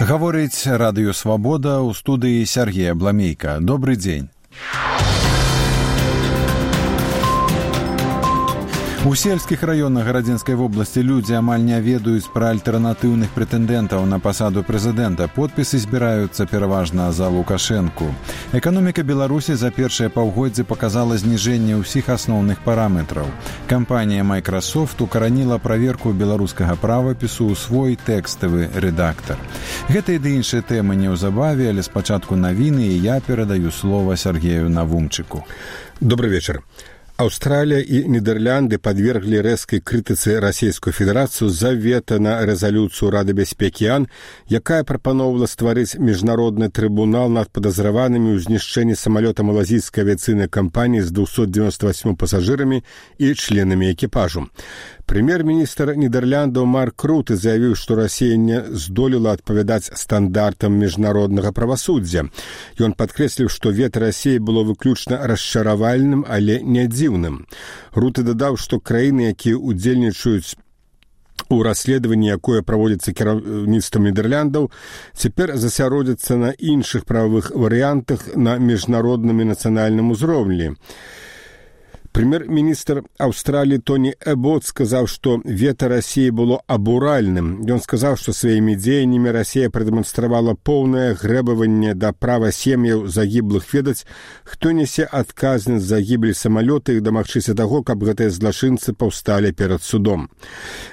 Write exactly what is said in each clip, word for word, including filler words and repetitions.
Гаворыць Радыё Свабода, у студыі Сергей Абламейка. Добрый дзень. У сельскіх раёнах Гарадзінскай вобласці людзі амаль не ведаюць пра альтэрнатыўных прэтэндэнтаў на пасаду прэзідэнта. Подпісы збіраюцца пераважна за Лукашэнку. Эканоміка Беларусі за першыя паўгоддзі паказала зніжэнне ўсіх асноўных параметраў. Кампанія Microsoft укараніла праверку беларускага правапісу ў свой тэкставы рэдактар. Гэта і ды іншыя тэмы неўзабаве, але спачатку навіны, і я перадаю слова Сергею Навумчыку. Добрый вечер. Австралия и Нидерланды подвергли резкой критицы Российскую Федерацию за вето на резолюцию Рады бяспекі ООН, якая прапановала стварыць міжнародны трибунал над подозреванными ў знішчэнні самолета малазійской авиационной компании с двумястами девяноста восьмью пассажирами и членами экипажу. Премьер-министр Нидерландов Марк Рутте заявил, что Россия не здолела адпавядаць стандартам міжнароднага правасуддзя. Ён падкрэсліў, што вето России было выключна расчаравальным, але не дзіўным. Рутте дадаў, што краіны, якія удзельнічаюць у расследаванні, якое праводзіцца кіраўніцтвам Нідерландаў, цяпер засяродзяцца на іншых прававых варыянтах на міжнародным і нацыянальным узроўні. Премьер-министр Австралии Тони Эббот сказал, что вето России было абуральным. Он сказал, что своими дзеяннямі Россия продемонстравала полное грэбаванне да права сем'яў загіблых ведаць, хто несе адказнасць за гібель самолета і дамагчыся таго, каб гэтыя злачынцы паўсталі перад судом.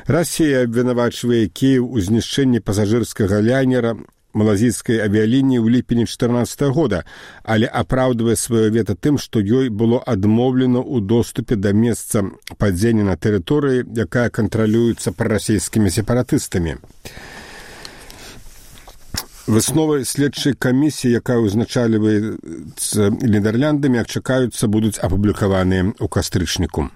Россия абвінавачвае Киев у знішчэнні пасажырскага лайнера малазійскай авіялініі ў ліпені чатырнаццатага года, але апраўдвае сваё вето тым, што ёй было адмоўлена ў доступе да месца падзення на тэрыторыі, якая кантралюецца прарасійскімі сепаратыстамі. Высновы следчай камісіі, якая ўзначальваецца Нідерландамі, як чакаюцца, будуць апублікаваныя ў кастрычніку.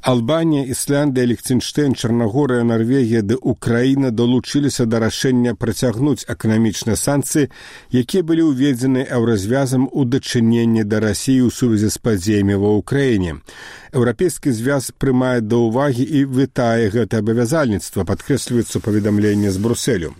Албанія, Ісландыя, Ліхтенштэйн, Чарнагорыя, Нарвегія ды Украіна далучыліся да рашэння працягнуць эканамічныя санкцыі, якія былі ўведзены еўразвязам у дачыненні да Расіі ў сувязі з падзеямі ва ўкраіне. Еўрапейскі звяз прымае да ўвагі і вітае гэта абавязальніцтва, падкрэсліваецца паведамленне з Брусэлю.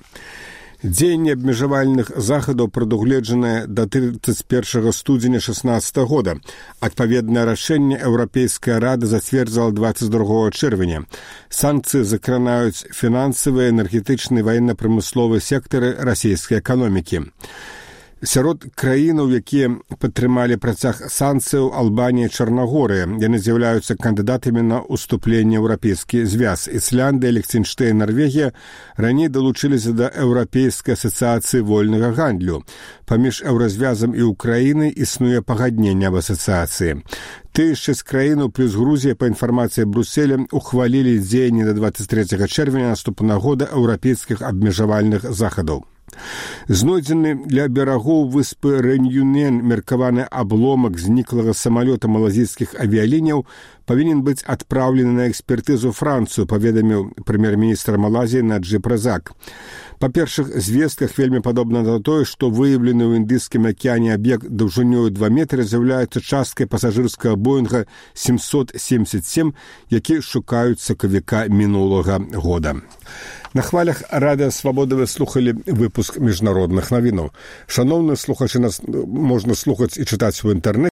Дзеянне абмежавальных захадаў прадугледжанае да тридцать первого студзеня шестнадцатого года. Адпаведнае рашэнне Еўрапейская рада зацвердзіла двадцать другого чэрвеня. Санкцыі закранаюць фінансавыя, энергетычныя, ваенна-прамысловыя сектары расійскай эканомікі. Сярод краінаў, якія падтрымалі працяг санкцыяў, Албанія і Чарнагорыя. Яны з'яўляюцца кандыдатамі на ўступленне ў еўрапейскі звяз. Ісландыя, Ліхтенштэйн, Нарвегія раней далучыліся да Еўрапейскай асацыяцыі вольнага гандлю. Паміж еўразвязам і Украінай існуе пагадненне аб асацыяцыі. Тыя шэсць краінаў плюс Грузія, па інфармацыі Брусселя, ухвалілі дзеянні да двадцать третьего чэрвеня наступнага года еўрапейскіх абмежавальных захадаў. Знойдзены ля берагоў выспы Рэньюнен меркаваны абломак зніклага самалёта малазійскіх авіяліняў павінен быць адпраўлены на экспертызу Францыю, паведаміў прэм'ер-міністр Малайзіі Наджиб Разак. Па першых звестках вельмі падобна на тое, што выяўлены ў Індыйскім акіяне аб'ект даўжынёю два метры з'яўляецца часткай пасажырскага Боінга семьсот семьдесят семь, які шукаюць сакавіка мінулага года. На хвалях Радыё Свабода вы слухалі выпуск міжнародных навінаў. Шаноўныя слухачы, нас можна слухаць і чытаць у інтэрнэце.